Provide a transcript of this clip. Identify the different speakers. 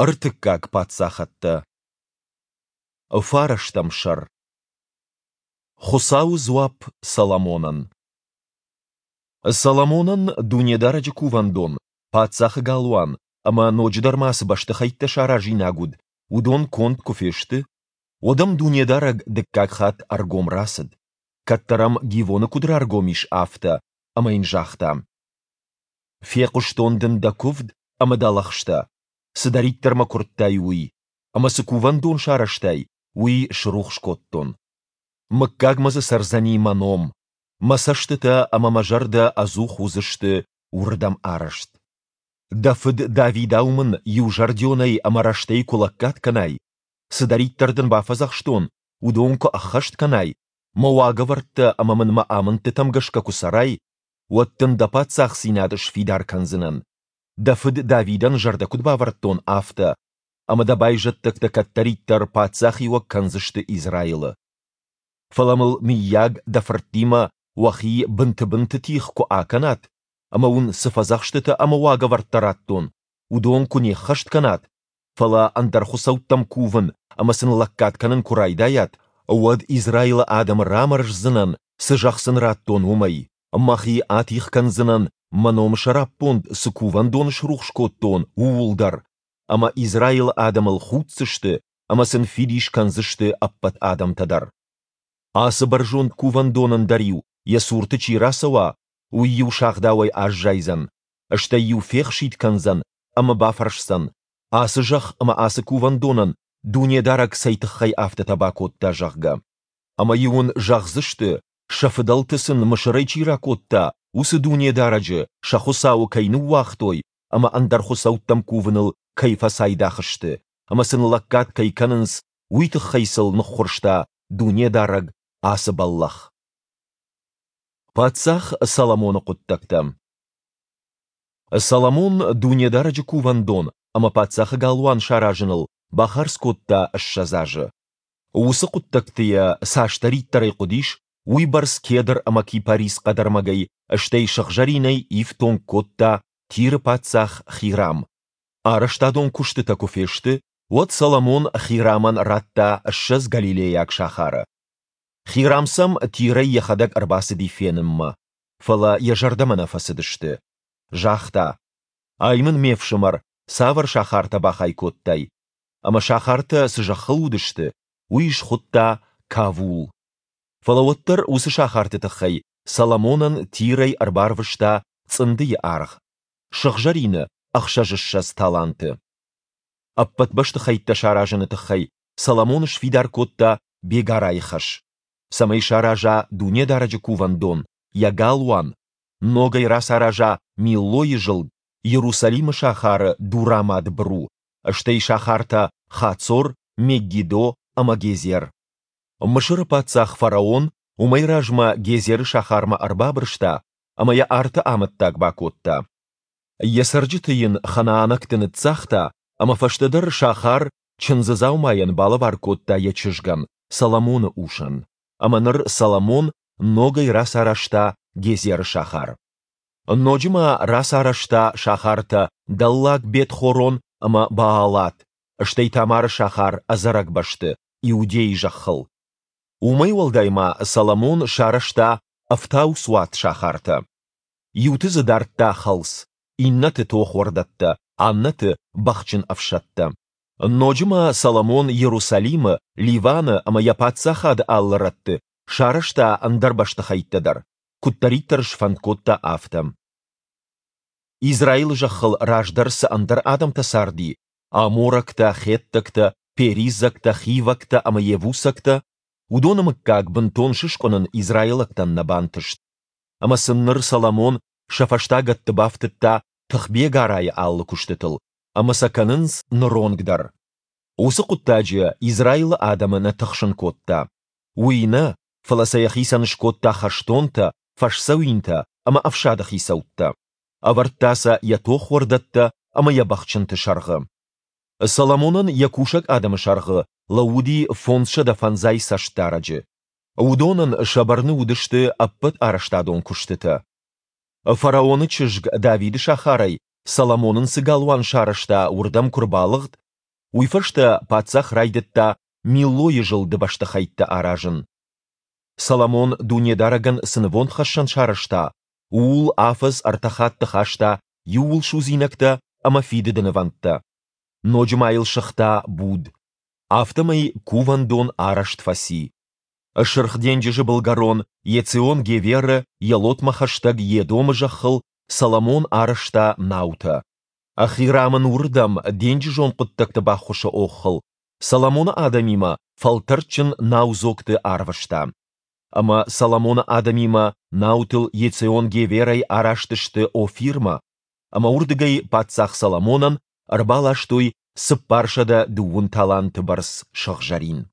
Speaker 1: Ӕртыккаг паддзахӕдтӕ. Фарӕстӕм сӕр. Хуыцауы дзуапп Соломонӕн. Соломонӕн Дунедарӕджы кувӕндон, паддзахы галуан ӕмӕ ноджыдӕр ма цы бӕстыхӕйттӕ саразинаг уыд, уыдон конд куы фесты, уӕд ӕм Дунедарӕг дыккаг хатт ӕргом рацыд, кӕддӕр ӕм Гивоны куыд раргом ис, афтӕ, ӕмӕ йын загъта: «Фехъуыстон дын дӕ куывд ӕмӕ дӕ лӕгъстӕ, цыдӕриддӕр мӕ куырдтай, уый, ӕмӕ цы кувӕндон сарӕзтай, уый срухс кодтон. Мыггагмӕ дзы цӕрдзӕни мӕ ном, мӕ цӕстытӕ ӕмӕ мӕ зӕрдӕ ӕдзух уыдзысты уырдӕм арӕзт. Дӕ фыд Давидау мын иузӕрдионӕй ӕмӕ рӕстӕй куы лӕггад кӕнай, цыдӕриддӕр дын бафӕдзӕхстон, уыдон куы ӕххӕст кӕнай, мӕ уагӕвӕрдтӕ ӕмӕ мын мӕ амындтытӕм гӕсгӕ куы цӕрай, уӕд дын дӕ паддзахдзинад сфидар кӕндзынӕн, дӕ фыд Давидӕн зӕрдӕ куыд бавӕрдтон, афтӕ, ӕмӕ дӕ байзӕддӕгтӕ кӕддӕриддӕр паддзахиуӕг кӕндзысты Израилы. Фӕлӕ мыл, мыййаг, дӕ фырттимӕ уӕхи бынты-бынты тигъ куы акӕнат ӕмӕ уын цы фӕдзӕхстытӕ ӕмӕ уагӕвӕрдтӕ радтон, уыдон куы не ххӕст кӕнат, фӕлӕ ӕндӕр хуыцӕуттӕм кувын ӕмӕ сын лӕггад кӕнын куы райдайат, уӕд Израилы адӕмы рамӕрздзынӕн, цы зӕхх сын радтон, уымӕй. Мӕхи атигъ кӕндзынӕн, мӕ номы сӕраппонд цы кувӕндон срухс кодтон, ууыл дӕр, ӕмӕ Израилы адӕмыл худдзысты ӕмӕ сын фидис кӕндзысты ӕппӕт адӕмтӕ дӕр. Ацы бӕрзонд кувӕндонӕн дӕр-иу йӕ цурты чи рацӕуа, уый-иу сагъдауӕй аззайдзӕн, стӕй-иу фехситт кӕндзӕн ӕмӕ бафӕрсдзӕн, ацы зӕхх ӕмӕ ацы кувӕндонӕн Дунедарӕг цӕй тыххӕй афтӕтӕ бакодта, зӕгъгӕ. Ӕмӕ-иу ын зӕгъдзысты, сӕ фыдӕлты сын Мысырӕй чи ракодта, уыцы Дунедарӕджы, сӕ Хуыцауы кӕй ныууагътой ӕмӕ ӕндӕр хуыцӕуттӕм кувыныл кӕй фӕцайдагъ сты ӕмӕ сын лӕггад кӕй кӕнынц, уый тыххӕй сыл ныххуырста Дунедарӕг ацы бӕллӕх. Паддзах Соломоны хъуыддӕгтӕ. Соломон Дунедарӕджы кувӕндон ӕмӕ паддзахы галуан саразыныл бахардз кодта 20 азы. Уыцы хъуыддӕгты йӕ цасдӕриддӕрӕй хъуыдис, уыйбӕрц кедр ӕмӕ кипарис хъӕдӕрмӕгӕй, стӕй сыгъзӕринӕй ифтонг кодта Тиры паддзах Хирам. Арӕзтадон куыстытӕ куы фесты, уӕд Соломон Хирамӕн радта 20 галилейаг сахары. Хирам сӕм Тирӕй йӕхӕдӕг ӕрбацыди фенынмӕ, фӕлӕ йӕ зӕрдӕмӕ нӕ фӕцыдысты. Загъта: «Ай мын, ме фсымӕр, цавӕр сахартӕ бахай кодтай?» Ӕмӕ сахартӕ цы зӕххыл уыдысты, уый схуыдта Кавул. Фӕлӕ уӕддӕр уыцы сахарты тыххӕй Соломонӕн Тирӕй ӕрбарвыста цъындыйы аргъ, сыгъзӕрины 26 таланты. Ӕппӕт бӕстыхӕйттӕ саразыны тыххӕй Соломон сфидар кодта бегарайы хӕс, цӕмӕй сараза Дунедарӕджы кувӕндон, йӕ галуан, ногӕй рацараза Миллойы зылд, Иерусалимы сахары дурамад быру, стӕй сахартӕ Хацор, Меггидо ӕмӕ Гезер. Мысыры паддзах фараон уымӕй размӕ Гезеры сахармӕ ӕрбабырста ӕмӕ йӕ арты амӕттаг бакодта. Йӕ цӕрджыты йын ханаанӕгты ныццагъта ӕмӕ фӕстӕдӕр сахар чындзы дзаумайӕн балӕвар кодта йӕ чызгӕн, Соломоны усӕн. Ӕмӕ ныр Соломон ногӕй рацарӕзта Гезеры сахар. Ноджы ма рацарӕзта сахартӕ Дӕллаг Бет-Хорон ӕмӕ Баалат, стӕй Тамары сахар ӕдзӕрӕг бӕсты, Иудейы зӕххыл. Уымӕй уӕлдай ма Соломон сарӕзта ӕфтауцуат сахартӕ. Иуты дзы дардта хӕлц, иннӕты тохуӕрдӕттӕ, аннӕты бӕхджын ӕфсӕдтӕ. Ноджы ма Соломон Иерусалимы, Ливаны ӕмӕ йӕ паддзахады алы рӕтты сарӕзта ӕндӕр бӕстыхӕйттӕ дӕр, куыддӕриддӕр сфӕнд кодта, афтӕ. Израилы зӕххыл раздӕр цы ӕндӕр адӕмтӕ царди, аморӕгтӕ, хеттӕгтӕ, перизӕгтӕ, хивӕгтӕ ӕмӕ йевусӕгтӕ, уыдоны мыггаг бынтон сыскъуынын израилӕгтӕн нӕ бантыст. Ӕмӕ сын ныр Соломон сӕ фӕстагӕтты бафтыдта тыхбегарайы алы куыстытыл, ӕмӕ сӕ кӕнынц ныронг дӕр. Уыцы хъуыддаджы Израилы адӕмы нӕ тыхсын кодта. Уый нӕ, фӕлӕ сӕ йӕхицӕн скодта хӕстонтӕ, фӕсдзӕуинтӕ ӕмӕ ӕфсады хицӕуттӕ. Ӕвӕрдта сӕ йӕ тохуӕрдӕттӕ ӕмӕ йӕ бӕхджынты сӕргъы. Соломонӕн йӕ кусӕг адӕмы сӕргъы лӕууыди 550 цӕстдарӕджы. Уыдонӕн сӕ бӕрны уыдысты ӕппӕт арӕзтадон куыстытӕ. Фараоны чызг Давиды сахарӕй, Соломон ын цы галуан сарӕзта, уырдӕм куы рбалыгъд, Уый фӕстӕ паддзах райдыдта Миллойы зылды бӕстыхӕйттӕ аразын. Соломон Дунедарӕгӕн цы нывондхӕссӕн сарӕзта, ууыл афӕдз ӕртӕ хатты хаста иууылсудзинӕгтӕ ӕмӕ фидыды нывӕндтӕ. Ноджы ма йыл сыгъта буд. Афтӕмӕй кувӕндон арӕзт фӕци. Сырх денджызы былгӕрон Ецион-Геверы, Елотмӕ хӕстӕг Едомы зӕххыл Соломон арӕзта наутӕ. Хирам ын уырдӕм, денджызон хъуыддӕгты баххуысы оххыл, Соломоны адӕмимӕ фӕлтӕрдджын наудзогты арвыста. Ӕмӕ Соломоны адӕмимӕ наутыл Ецион-Геверӕй араст сты Офирмӕ, ӕмӕ уырдыгӕй паддзах Соломонӕн ӕрбаластой 420 таланты бӕрц сыгъзӕрин.